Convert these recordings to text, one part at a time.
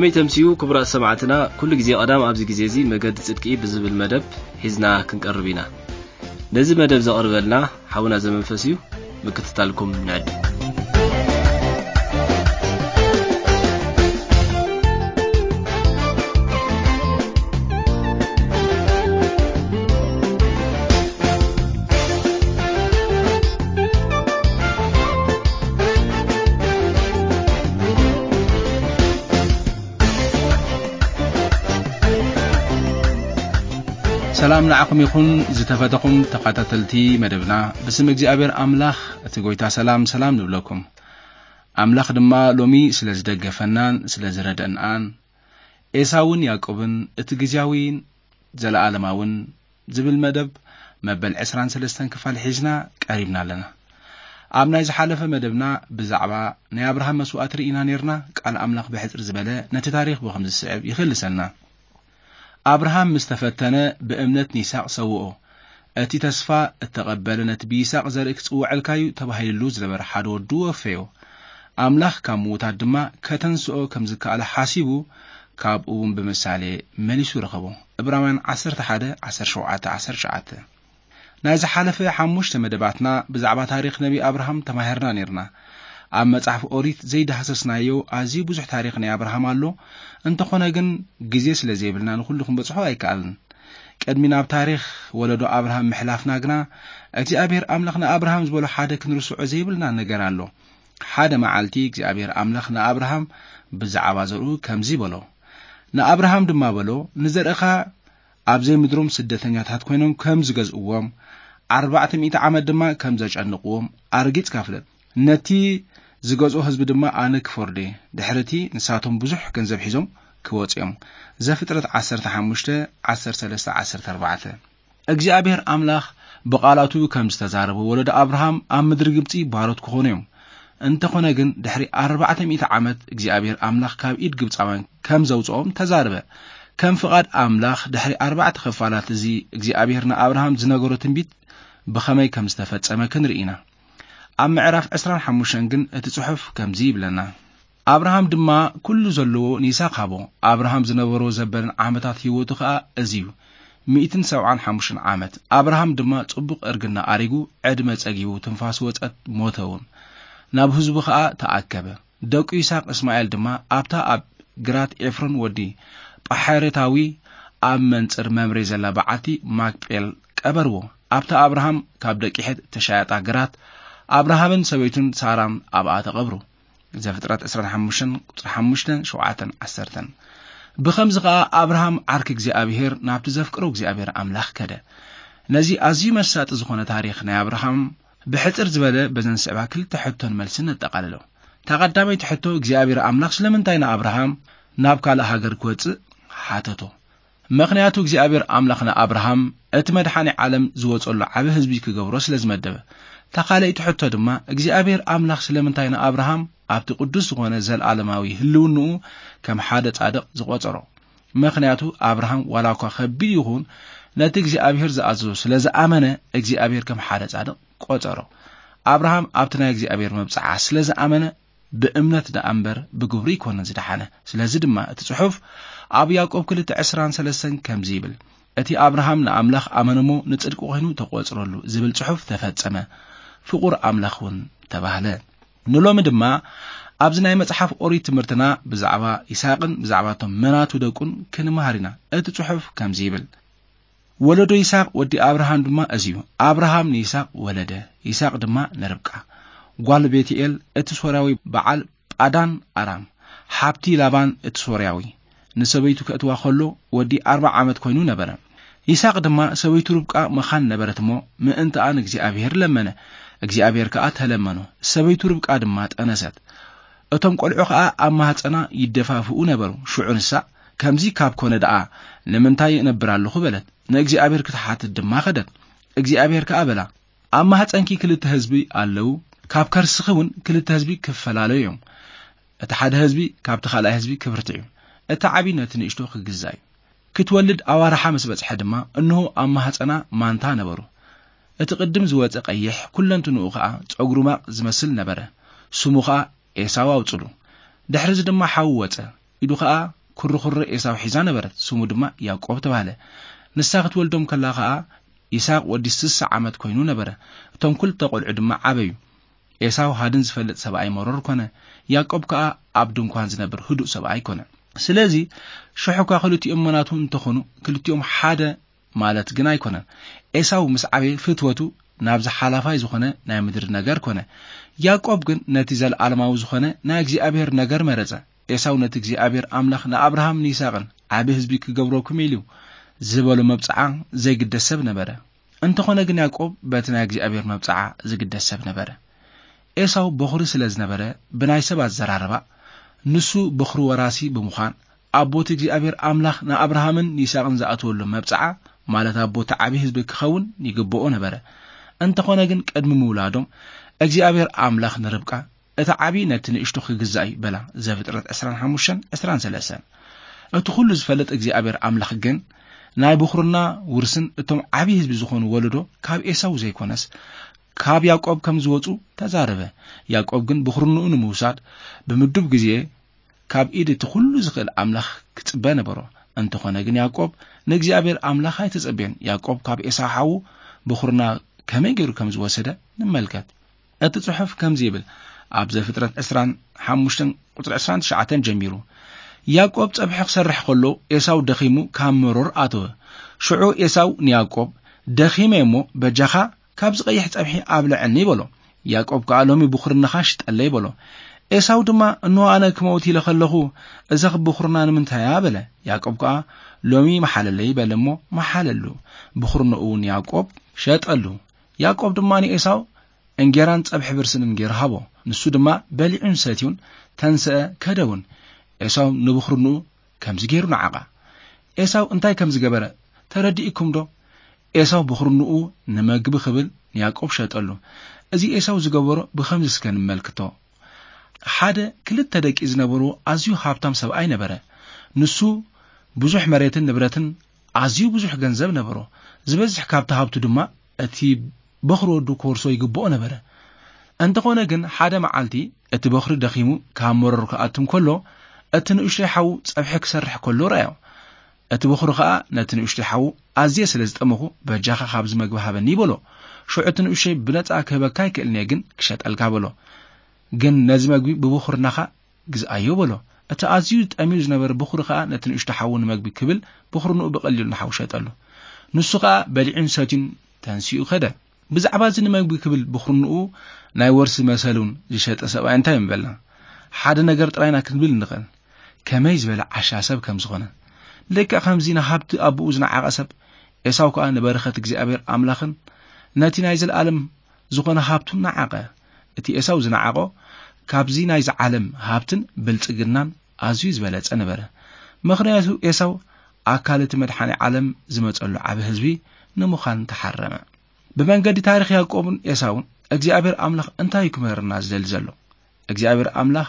ከመይ ተምስዩ ክቡራት ሰማዕትና፣ ኩሉ ግዜ ቀዳም ኣብዚ ግዜ እዚ መገዲ ጽድቂ ብዝብል መደብ ሒዝና ክንቀርብ ኢና። ነዚ መደብ ዘቕርበልና ሓውና ዘመንፈስ እዩ። ምክትታልኩም ንዕድ። ሰላም ንዓኹም ይኹን ዝተፈተኹም ተኸታተልቲ መደብና። ብስም እግዚኣብሔር ኣምላኽ እቲ ጎይታ ሰላም ሰላም ንብለኩም። ኣምላኽ ድማ ሎሚ ስለ ዝደገፈናን ስለ ዝረደእናን ኤሳውን ያዕቆብን እቲ ግዜያዊን ዘለኣለማውን ዝብል መደብ መበል ዕስራን ሰለስተን ክፋል ሒዝና ቀሪብና ኣለና። ኣብ ናይ ዝሓለፈ መደብና ብዛዕባ ናይ ኣብርሃም መስዋእቲ ርኢና ኔርና። ቃል ኣምላኽ ብሕጽር ዝበለ ነቲ ታሪኽ ብኸምዚ ዝስዕብ ይኽልሰልና። ኣብርሃም ምስ ተፈተነ ብእምነት ንይስሐቅ ሰውኦ። እቲ ተስፋ እተቐበለ ነቲ ብይስሐቅ ዘርኢ ክጽውዐልካዩ ተባሂልሉ ዝነበረ ሓደ ወዱ ወፈዮ። ኣምላኽ ካብ ምዉታት ድማ ከተንስኦ ከም ዝከኣለ ሓሲቡ ካብኡ እውን ብምሳሌ መሊሱ ረኸቦ። ዕብራውያን ዓሰርተ ሓደ፣ ዓሰርተ ሸውዓተ፣ ዓሰርተ ትሽዓተ። ናይ ዝሓለፈ ሓሙሽተ መደባትና ብዛዕባ ታሪኽ ነቢ ኣብርሃም ተማሂርና ኔርና። ኣብ መጽሓፍ ኦሪት ዘይዳህሰስናዮ ኣዝዩ ብዙሕ ታሪኽ ናይ ኣብርሃም ኣሎ። እንተኾነ ግን ግዜ ስለ ዘይብልና ንኹሉ ክንበጽሖ ኣይከኣልን። ቅድሚ ናብ ታሪኽ ወለዶ ኣብርሃም ምሕላፍና ግና እግዚኣብሔር ኣምላኽ ንኣብርሃም ዝበሎ ሓደ ክንርስዖ ዘይብልና ነገር ኣሎ። ሓደ መዓልቲ እግዚኣብሔር ኣምላኽ ንኣብርሃም ብዛዕባ ዘርኡ ከምዚ በሎ። ንኣብርሃም ድማ በሎ፣ ንዘርእኻ ኣብ ዘይምድሮም ስደተኛታት ኮይኖም ከም ዝገዝእዎም፣ ኣርባዕተ ሚእቲ ዓመት ድማ ከም ዘጨንቕዎም ኣርጊጽካ ፍለጥ። ነቲ ዝገዝኦ ህዝቢ ድማ ኣነ ክፈርዶ እየ። ድሕርቲ ንሳቶም ብዙሕ ገንዘብ ሒዞም ክወጹ እዮም። ዘፍጥረት ዓሰርተ ሓሙሽተ፣ ዓሰርተ ሰለስተ፣ ዓሰርተ ኣርባዕተ። እግዚኣብሔር ኣምላኽ ብቓላቱ ከም ዝተዛረበ ወለዶ ኣብርሃም ኣብ ምድሪ ግብጺ ባሮት ክኾኑ እዮም። እንተኾነ ግን ድሕሪ ኣርባዕተ ሚእቲ ዓመት እግዚኣብሔር ኣምላኽ ካብ ኢድ ግብጻውያን ከም ዘውጽኦም ተዛረበ። ከም ፍቓድ ኣምላኽ ድሕሪ ኣርባዕተ ክፋላት እዚ እግዚኣብሔር ንኣብርሃም ዝነገሮ ትንቢት ብኸመይ ከም ዝተፈጸመ ክንርኢ ኢና። ኣብ ምዕራፍ ዕስራን ሓሙሽተን ግን እቲ ጽሑፍ ከምዚ ይብለና። ኣብርሃም ድማ ኩሉ ዘለዎ ንይስሐቅ ሃቦ። ኣብርሃም ዝነበሮ ዘበልን ዓመታት ህይወቱ ኸኣ እዚ እዩ፣ ሚእትን ሰብዓን ሓሙሽተን ዓመት። ኣብርሃም ድማ ጽቡቕ እርግና ኣሪጉ፣ ዕድመ ጸጊቡ፣ ትንፋስ ወጸት፣ ሞተ እውን። ናብ ህዝቡ ኸኣ ተኣከበ። ደቁ ይስሐቅ እስማኤል ድማ ኣብታ ኣብ ግራት ኤፍሮን ወዲ ጳሐሬታዊ ኣብ መንጽር መምሬ ዘላ በዓቲ ማክጴል ቀበርዎ። ኣብታ ኣብርሃም ካብ ደቂ ሔት እተሻየጣ ግራት ኣብርሃምን ሰበይቱን ሳራን ኣብኣ ተቐብሩ። ዘፍጥረት ዕስራን ሓሙሽተን ቁጽሪ ሓሙሽተን፣ ሸውዓተን፣ ዓሰርተን። ብኸምዚ ኸኣ ኣብርሃም ዓርኪ እግዚኣብሔር ናብቲ ዘፍቅሮ እግዚኣብሔር ኣምላኽ ከደ። ነዚ ኣዝዩ መሳጢ ዝኾነ ታሪኽ ናይ ኣብርሃም ብሕጽር ዝበለ በዘን ስዕባ ክልተ ሕቶን መልስን ነጠቓልሎ። እታ ቀዳመይቲ ሕቶ እግዚኣብሔር ኣምላኽ ስለምንታይ ንኣብርሃም ናብ ካልእ ሃገር ክወጽእ ሓተቶ? ምኽንያቱ እግዚኣብሔር ኣምላኽ ንኣብርሃም እቲ መድሓኒ ዓለም ዝወጸሉ ዓቢ ህዝቢ ክገብሮ ስለ ዝመደበ። እታ ካልኣይቲ ሕቶ ድማ እግዚኣብሔር ኣምላኽ ስለምንታይ ንኣብርሃም ኣብቲ ቅዱስ ዝኾነ ዘለኣለማዊ ህልውንኡ ከም ሓደ ጻድቕ ዝቖጸሮ? ምኽንያቱ ኣብርሃም ዋላ እኳ ከቢድ ይኹን ነቲ እግዚኣብሔር ዝኣዘዞ ስለ ዝኣመነ እግዚኣብሔር ከም ሓደ ጻድቕ ቆጸሮ። ኣብርሃም ኣብቲ ናይ እግዚኣብሔር መብጽዓ ስለ ዝኣመነ ብእምነት ደኣ እምበር ብግብሩ ኣይኮነን ዝደሓነ። ስለዚ ድማ እቲ ጽሑፍ ኣብ ያዕቆብ ክልተ ዕስራን ሰለስተን ከምዚ ይብል፣ "እቲ ኣብርሃም ንኣምላኽ ኣመነ እሞ ንጽድቂ ኮይኑ ተቖጽረሉ" ዝብል ጽሑፍ ተፈጸመ። ፍቑር ኣምላኽ እውን ተባህለ። ንሎሚ ድማ ኣብዚ ናይ መጽሓፍ ኦሪት ትምህርትና ብዛዕባ ይስሐቅን ብዛዕባ እቶም መናቱ ደቁን ክንመሃር ኢና። እቲ ጽሑፍ ከምዚ ይብል፣ "ወለዶ ይስሐቅ ወዲ ኣብርሃም ድማ እዚ እዩ። ኣብርሃም ንይስሐቅ ወለደ፣ ይስሐቅ ድማ ንርብቃ ጓል ቤትኤል እቲ ሶርያዊ በዓል ጳዳን ኣራም፣ ሓብቲ ላባን እቲ ሶርያዊ፣ ንሰበይቱ ከእትዋ ከሎ ወዲ ኣርብዓ ዓመት ኮይኑ ነበረ። ይስሐቅ ድማ ሰበይቱ ርብቃ መኻን ነበረት እሞ ምእንትኣ ንእግዚኣብሔር ለመነ፣ እግዚኣብሔር ከኣ ተለመኖ። ሰበይቱ ርብቃ ድማ ጠነሰት። እቶም ቆልዑ ከኣ ኣብ ማህጸና ይደፋፍኡ ነበሩ። ሽዑ ንሳ፣ ከምዚ ካብ ኮነ ደኣ ንምንታይ እነብር ኣለኹ?" በለት። ንእግዚኣብሔር ክትሓትት ድማ ከደት። እግዚኣብሔር ከኣ በላ፣ "ኣብ ማህጸንኪ ክልተ ህዝቢ ኣለዉ፣ ካብ ከርስኺ እውን ክልተ ህዝቢ ክፈላለዩ እዮም። እቲ ሓደ ህዝቢ ካብቲ ካልኣይ ህዝቢ ክብርትዕ እዩ፣ እቲ ዓቢ ነቲ ንእሽቶ ክግዛእ እዩ። ክትወልድ ኣዋርሓ ምስ በጽሐ ድማ፣ እንሆ ኣብ ማህጸና ማንታ ነበሩ። እቲ ቅድም ዝወጸ ቀይሕ፣ ኩለንትንኡ ኸኣ ጸጉሪ ማቕ ዝመስል ነበረ። ስሙ ኸኣ ኤሳው ኣውጽሉ። ድሕርዚ ድማ ሓው ወጸ። ኢዱ ኸኣ ኩርኹሪ ኤሳው ሒዛ ነበረት። ስሙ ድማ ያዕቆብ ተባህለ። ንሳ ክትወልዶም ከላ ኸኣ ይስሐቅ ወዲ ስሳ ዓመት ኮይኑ ነበረ። እቶም ክልተ ቆልዑ ድማ ዓበዩ። ኤሳው ሃድን ዝፈልጥ ሰብኣይ መሮር ኮነ። ያዕቆብ ከኣ ኣብ ድንኳን ዝነብር ህዱእ ሰብኣይ ኮነ። ስለዚ ሽሕ እኳ ክልቲኦም መናቱ እንተኾኑ፣ ክልቲኦም ሓደ ማለት ግን ኣይኮነን። ኤሳው ምስ ዓበየ ፍትወቱ ናብዚ ሓላፋይ ዝኾነ ናይ ምድሪ ነገር ኮነ። ያዕቆብ ግን ነቲ ዘለዓለማዊ ዝኾነ ናይ እግዚኣብሔር ነገር መረጸ። ኤሳው ነቲ እግዚኣብሔር ኣምላኽ ንኣብርሃም ንይስሐቅን ዓቢ ህዝቢ ክገብረኩም ኢሉ ዝበሎ መብጽዓ ዘይግደስ ሰብ ነበረ። እንተኾነ ግን ያዕቆብ በቲ ናይ እግዚኣብሔር መብጽዓ ዝግደስ ሰብ ነበረ። ኤሳው በኹሪ ስለ ዝነበረ፣ ብናይ ሰብ ኣዘራርባ፣ ንሱ በኹሪ ወራሲ ብምዃን፣ ኣቦቲ እግዚኣብሔር ኣምላኽ ንኣብርሃምን ንይስሐቅን ዝኣተወሉ መብጽዓ፣ ማለት ኣቦቲ ዓቢ ህዝቢ ክኸውን ይግብኦ ነበረ። እንተኾነ ግን ቅድሚ ምውላዶም እግዚኣብሔር ኣምላኽ ንርብቃ፣ እቲ ዓቢ ነቲ ንእሽቶ ክግዛእ እዩ በላ። ዘፍጥረት ዕስራን ሓሙሽተን ዕስራን ሰለስተን። እቲ ኩሉ ዝፈልጥ እግዚኣብሔር ኣምላኽ ግን ናይ ብኹርና ውርስን እቶም ዓቢ ህዝቢ ዝኾኑ ወለዶ ካብ ኤሳው ዘይኮነስ ካብ ያዕቆብ ከም ዝወጹ ተዛረበ። ያዕቆብ ግን ብኹርንኡ ንምውሳድ ብምዱብ ግዜ ካብ ኢድ እቲ ኩሉ ዝኽእል ኣምላኽ ክጽበ ነበሮ። እንተኾነ ግን ያዕቆብ ንእግዚኣብሔር ኣምላኽ ኣይተጸበየን። ያዕቆብ ካብ ኤሳው ሓዉ ብኹርና ከመይ ገይሩ ከም ዝወሰደ ንመልከት። እቲ ጽሑፍ ከምዚ ይብል፣ ኣብ ዘፍጥረት ዕስራን ሓሙሽተን ቁጽሪ ዕስራን ትሽዓተን ጀሚሩ፣ ያዕቆብ ጸብሒ ክሰርሕ ከሎ ኤሳው ደኺሙ ካብ መሮር ኣተወ። ሽዑ ኤሳው ንያዕቆብ፣ "ደኺመ እሞ በጃኻ ካብዚ ቀይሕ ጸብሒ ኣብልዐኒ" በሎ። ያዕቆብ ከኣ፣ "ሎሚ ብኹርንኻ ሽጠለይ" በሎ። ኤሳው ድማ፣ "እንሆ ኣነ ክመውት ኢለ ከለኹ፣ እዛ ብኹርና ንምንታይ እያ?" በለ። ያዕቆብ ከኣ፣ "ሎሚ መሓለለይ" በለ እሞ መሓለሉ። ብኹርንኡ እውን ያዕቆብ ሸጠሉ። ያዕቆብ ድማ ንኤሳው እንጌራን ጸብሒ ብርስንን ገይሩ ሃቦ። ንሱ ድማ በሊዑን ሰትዩን ተንስአ፣ ከደ እውን። ኤሳው ንብኹርንኡ ከምዚ ገይሩ ነዓቓ። ኤሳው እንታይ ከም ዝገበረ ተረዲእኩም ዶ? ኤሳው ብኹርንኡ ንመግቢ ክብል ንያዕቆብ ሸጠሉ። እዚ ኤሳው ዝገበሮ ብኸምዚ እስከ ንመልክቶ። ሓደ ክልተ ደቂ ዝነበርዎ ኣዝዩ ሃብታም ሰብኣይ ነበረ። ንሱ ብዙሕ መሬትን ንብረትን ኣዝዩ ብዙሕ ገንዘብ ነበሮ። ዝበዝሕ ካብቲ ሃብቱ ድማ እቲ በኹሪ ወዱ ክወርሶ ይግብኦ ነበረ። እንተኾነ ግን ሓደ መዓልቲ እቲ በኹሪ ደኺሙ ካብ መሮር ክኣቱ እንከሎ፣ እቲ ንእሽተይ ሓዉ ጸብሒ ክሰርሕ ከሎ ረኣዮ። እቲ በኹሪ ኸኣ ነቲ ንእሽተይ ሓዉ፣ "ኣዝየ ስለ ዝጠመኹ በጃኻ ካብዚ መግቢ ሃበኒ" በሎ። ሽዑ እቲ ንእሽተይ፣ "ብነጻ ክህበካ ኣይክእልን እየ፣ ግን ክሸጠልካ" በሎ። "ግን ነዚ መግቢ ብብኹርናኻ ግዝኣዮ" በሎ። እቲ ኣዝዩ ጠምዩ ዝነበረ በኹሪ ኸኣ ነቲ ንእሽቶ ሓዉ ንመግቢ ክብል በኹርንኡ ብቐሊሉ ንሓዉ ሸጠሉ። ንሱ ኸኣ በሊዑን ሰትዩን ተንሲኡ ከደ። ብዛዕባ እዚ ንመግቢ ክብል በኹርንኡ ናይ ወርሲ መሰሉን ዝሸጠ ሰብኣይ እንታይ ምበልና? ሓደ ነገር ጥራይና ክንብል ንኽእል። ከመይ ዝበለ ዓሻ ሰብ ከም ዝኾነ። ልክዕ ከምዚ ንሃብቲ ኣቦኡ ዝነዓቐ ሰብ፣ ኤሳው ከኣ ንበረኸት እግዚኣብሔር ኣምላኽን ነቲ ናይ ዘለኣለም ዝኾነ ሃብቱን ነዓቐ። እቲ ኤሳው ዝነዓቖ ካብዚ ናይዚ ዓለም ሃብትን ብልጽግናን ኣዝዩ ዝበለጸ ነበረ። ምኽንያቱ ኤሳው ኣካል እቲ መድሓኒ ዓለም ዝመጸሉ ዓቢ ህዝቢ ንምዃን ተሓረመ። ብመንገዲ ታሪኽ ያዕቆብን ኤሳውን እግዚኣብሔር ኣምላኽ እንታይ እዩ ክምህረና ዝደሊ ዘሎ? እግዚኣብሔር ኣምላኽ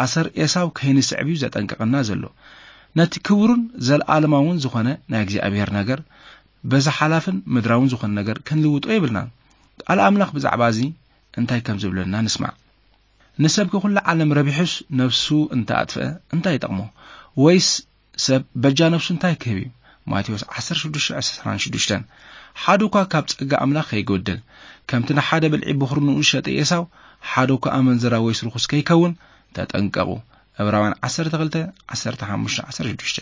ኣሰር ኤሳው ከይንስዕብ እዩ ዘጠንቅቐና ዘሎ። ነቲ ክቡርን ዘለኣለማውን ዝኾነ ናይ እግዚኣብሔር ነገር በዚ ሓላፍን ምድራውን ዝኾነ ነገር ክንልውጦ የብልናን። ቃል ኣምላኽ ብዛዕባ እዚ እንታይ ከም ዝብለና ንስማዕ። "ንሰብ ከ ኩላ ዓለም ረቢሑስ ነፍሱ እንተ ኣጥፍአ እንታይ ይጠቕሞ? ወይስ ሰብ በጃ ነፍሱ እንታይ ክህብ እዩ?" ማቴዎስ ዓሰርተ ሽዱሽተ ዕስራን ሽዱሽተን። ሓደ እኳ ካብ ጸጋ ኣምላኽ ከይጎድል፣ ከምቲ ንሓደ ብልዒ ብኹርንኡ ዝሸጠ ኤሳው፣ ሓደ እኳ ኣመንዝራ ወይስ ርኹስ ከይከውን ተጠንቀቑ። ዕብራውያን ዓሰርተ ክልተ፣ ዓሰርተ ሓሙሽተ፣ ዓሰርተ ሽዱሽተ።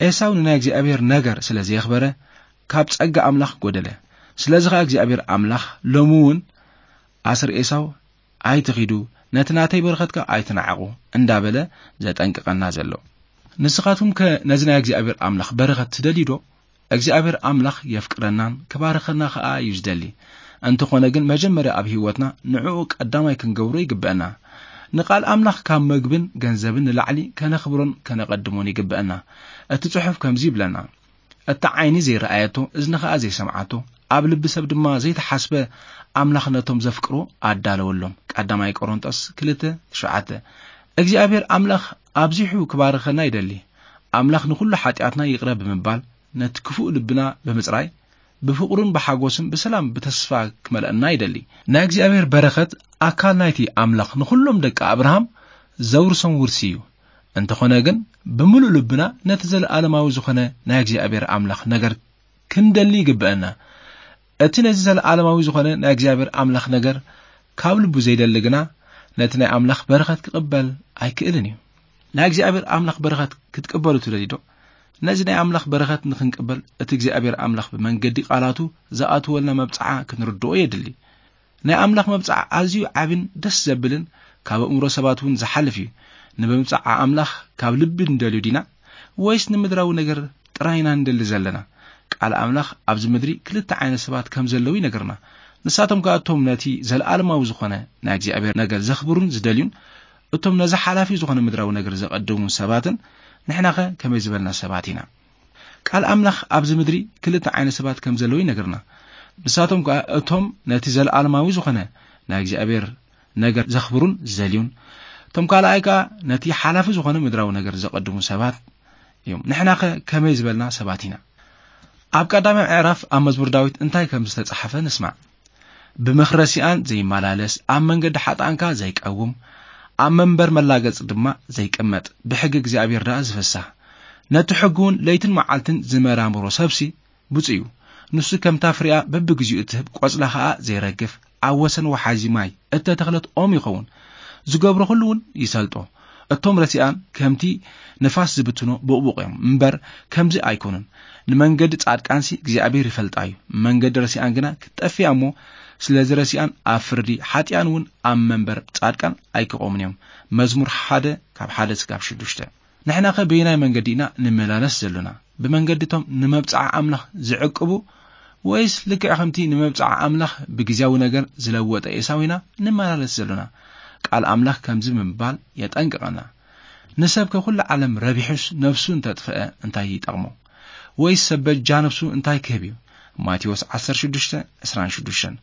ኤሳው ንናይ እግዚኣብሔር ነገር ስለ ዘየኽበረ፣ ካብ ጸጋ ኣምላኽ ጎደለ። ስለዚ ኸኣ እግዚኣብሔር ኣምላኽ ሎሚ እውን ኣስር ኤሳው ኣይትኺዱ፣ ነቲ ናተይ በረኸት ከኣ ኣይትነዓቑ እንዳበለ ዘጠንቅቐና ዘሎ። ንስኻትኩም ከ ነዚ ናይ እግዚኣብሔር ኣምላኽ በረኸት ትደልዩ ዶ? እግዚኣብሔር ኣምላኽ የፍቅረናን ክባርኸና ከኣ እዩ ዝደሊ። እንተኾነ ግን መጀመርያ ኣብ ህይወትና ንዕኡ ቀዳማይ ክንገብሮ ይግበአና። ንቃል ኣምላኽ ካብ መግብን ገንዘብን ንላዕሊ ከነኽብሮን ከነቐድሞን ይግበአና። እቲ ጽሑፍ ከምዚ ይብለና፣ "እታ ዓይኒ ዘይረኣየቶ፣ እዝኒ ኸኣ ዘይሰምዓቶ፣ ኣብ ልቢ ሰብ ድማ ዘይተሓስበ ኣምላኽ ነቶም ዘፍቅሮ ኣዳለወሎም።" ቀዳማይ ቆሮንጦስ ክልተ ትሽዓተ። እግዚኣብሔር ኣምላኽ ኣብዚሑ ክባርኸና ይደሊ። ኣምላኽ ንኹሉ ሓጢኣትና ይቕረ ብምባል፣ ነቲ ክፉእ ልብና ብምጽራይ፣ ብፍቕሩን ብሓጎስን ብሰላም ብተስፋ ክመልአና ይደሊ። ናይ እግዚኣብሔር በረኸት ኣካል ናይቲ ኣምላኽ ንኹሎም ደቂ ኣብርሃም ዘውርሶም ውርሲ እዩ። እንተኾነ ግን፣ ብምሉእ ልብና ነቲ ዘለኣለማዊ ዝኾነ ናይ እግዚኣብሔር ኣምላኽ ነገር ክንደሊ ይግብአና። እቲ ነዚ ዘለኣለማዊ ዝኾነ ናይ እግዚኣብሔር ኣምላኽ ነገር ካብ ልቡ ዘይደሊ ግና፣ ነቲ ናይ ኣምላኽ በረኸት ክቕበል ኣይክእልን እዩ። ናይ እግዚኣብሔር ኣምላኽ በረኸት ክትቅበሉ ትደልዩ ዶ? ነዚ ናይ ኣምላኽ በረኸት ንኽንቅበል፣ እቲ እግዚኣብሔር ኣምላኽ ብመንገዲ ቃላቱ ዝኣትወልና መብጽዓ ክንርድኦ የድሊ። ናይ ኣምላኽ መብጽዓ ኣዝዩ ዓብን ደስ ዘብልን፣ ካብ ኣእምሮ ሰባት እውን ዝሓልፍ እዩ። ንምብጽዓ ኣምላኽ ካብ ልቢ ንደልዩ ዲና፣ ወይስ ንምድራዊ ነገር ጥራይ ኢና ንደሊ ዘለና? ቃል ኣምላኽ ኣብዚ ምድሪ ክልተ ዓይነት ሰባት ከም ዘለዉ ይነግርና። ንሳቶም ከኣ እቶም ነቲ ዘለኣለማዊ ዝኾነ ናይ እግዚኣብሔር ነገር ዘኽብሩን ዝደልዩን፣ እቶም ነዚ ሓላፊ ዝኾነ ምድራዊ ነገር ዘቐድሙን ሰባትን። ንሕናኸ ከመይ ዝበልና ሰባት ኢና? ቃል ኣምላኽ ኣብዚ ምድሪ ክልተ ዓይነት ሰባት ከም ዘለዉ ይነግርና። ንሳቶም ከኣ እቶም ነቲ ዘለኣለማዊ ዝኾነ ናይ እግዚኣብሔር ነገር ዘኽብሩን ዝደልዩን፣ እቶም ካልኣይ ከኣ ነቲ ሓላፊ ዝኾነ ምድራዊ ነገር ዘቐድሙ ሰባት እዮም። ንሕናኸ ከመይ ዝበልና ሰባት ኢና? ኣብ ቀዳማይ ምዕራፍ ኣብ መዝሙር ዳዊት እንታይ ከም ዝተጻሕፈ ንስማዕ። "ብምኽረ ሲኣን ዘይመላለስ፣ ኣብ መንገዲ ሓጥኣንካ ዘይቀውም፣ ኣብ መንበር መላገጽ ድማ ዘይቅመጥ፣ ብሕጊ እግዚኣብሔር ደኣ ዝፍሳህ፣ ነቲ ሕጉ እውን ለይትን መዓልትን ዝመራምሮ ሰብሲ ብፁዕ እዩ። ንሱ ከምታ ፍሬኣ በብግዚኡ እትህብ፣ ቆጽላ ኸኣ ዘይረግፍ፣ ኣብ ወሰን ወሓዚ ማይ እተተኽለት ኦም ይኸውን። ዝገብሮ ኹሉ እውን ይሰልጦ። እቶም ረሲኣን ከምቲ ንፋስ ዝብትኖ ቡቕቡቕ እዮም እምበር፣ ከምዚ ኣይኮኑን። ንመንገዲ ጻድቃንሲ እግዚኣብሔር ይፈልጣ እዩ፣ መንገዲ ረሲኣን ግና ክትጠፍእ እያ እሞ፣ ስለዚ ረሲኣን ኣብ ፍርዲ፣ ሓጢኣን እውን ኣብ መንበር ጻድቃን ኣይክቖሙን እዮም።" መዝሙር ሓደ ካብ ሓደ እስካብ ሽዱሽተ። ንሕናኸ በየናይ መንገዲ ኢና ንመላለስ ዘሎና? ብመንገዲ እቶም ንመብጽዓ ኣምላኽ ዝዕቅቡ፣ ወይስ ልክዕ ከምቲ ንመብጽዓ ኣምላኽ ብግዜያዊ ነገር ዝለወጠ ኤሳው ኢና ንመላለስ ዘሎና? ቃል ኣምላኽ ከምዚ ብምባል የጠንቅቐና፣ "ንሰብ ከኩሉ ዓለም ረቢሑስ ነፍሱ እንተጥፍአ እንታይ ይጠቕሞ? ወይስ ሰብ በጃ ነፍሱ እንታይ ክህብ እዩ?" ማቴዎስ ዓሰርተ ሽዱሽተ ዕስራን ሽዱሽተን።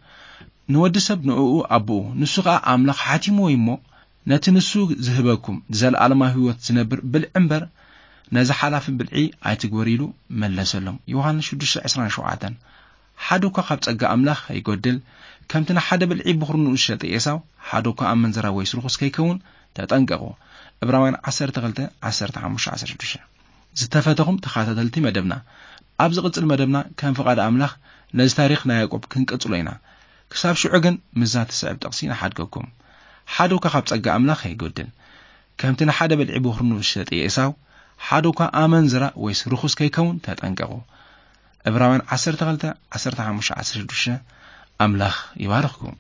ንወዲ ሰብ ንእኡ ኣቦኡ፣ ንሱ ኸኣ ኣምላኽ ሓቲምዎ እዩ እሞ፣ ነቲ ንሱ ዝህበኩም ዘለኣለማዊ ህይወት ዝነብር ብልዒ እምበር፣ ነዚ ሓላፊ ብልዒ ኣይትግበር ኢሉ መለሰሎም። ዮሃንስ ሽዱሽተ ዕስራን ሸውዓተን። ሓደ እኳ ካብ ጸጋ ኣምላኽ ከይጎድል፣ ከምቲ ንሓደ ብልዒ ብኹርንኡ ዝሸጠ ኤሳው፣ ሓደ እኳ ኣመንዝራ ወይስ ርኹስ ከይከውን ተጠንቀቑ። ዕብራውያን ዓሰርተ ክልተ፣ ዓሰርተ ሓሙሽተ፣ ዓሰርተ ሽዱሽተ። ዝተፈተኹም ተኸታተልቲ መደብና፣ ኣብ ዝቕጽል መደብና ከም ፍቓድ ኣምላኽ ነዚ ታሪኽ ናይ ያዕቆብ ክንቅጽሎ ኢና። ክሳብ ሽዑ ግን ምስዛ ትስዕብ ጥቕሲ ንሓድገኩም። ሓደ እኳ ካብ ጸጋ ኣምላኽ ከይጎድል፣ ከምቲ ንሓደ ብልዒ ብኹርኑ ዝሸጠ ኤሳው፣ ሓደ እኳ ኣመንዝራ ወይስ ርኹስ ከይከውን ተጠንቀቑ። ዕብራውያን ዓሰርተ ክልተ፣ ዓሰርተ ሓሙሽተ፣ ዓሰርተ ሽዱሽተ። ኣምላኽ ይባርኽኩም።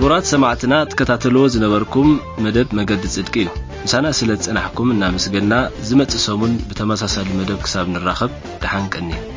ክቡራት ሰማዕትና፣ ትከታተልዎ ዝነበርኩም መደብ መገዲ ጽድቂ እዩ። ምሳና ስለ ዝጸናሕኩም እናመስገና፣ ዝመጽእ ሰሙን ብተመሳሳሊ መደብ ክሳብ ንራኸብ፣ ደሓን ቀንዩ።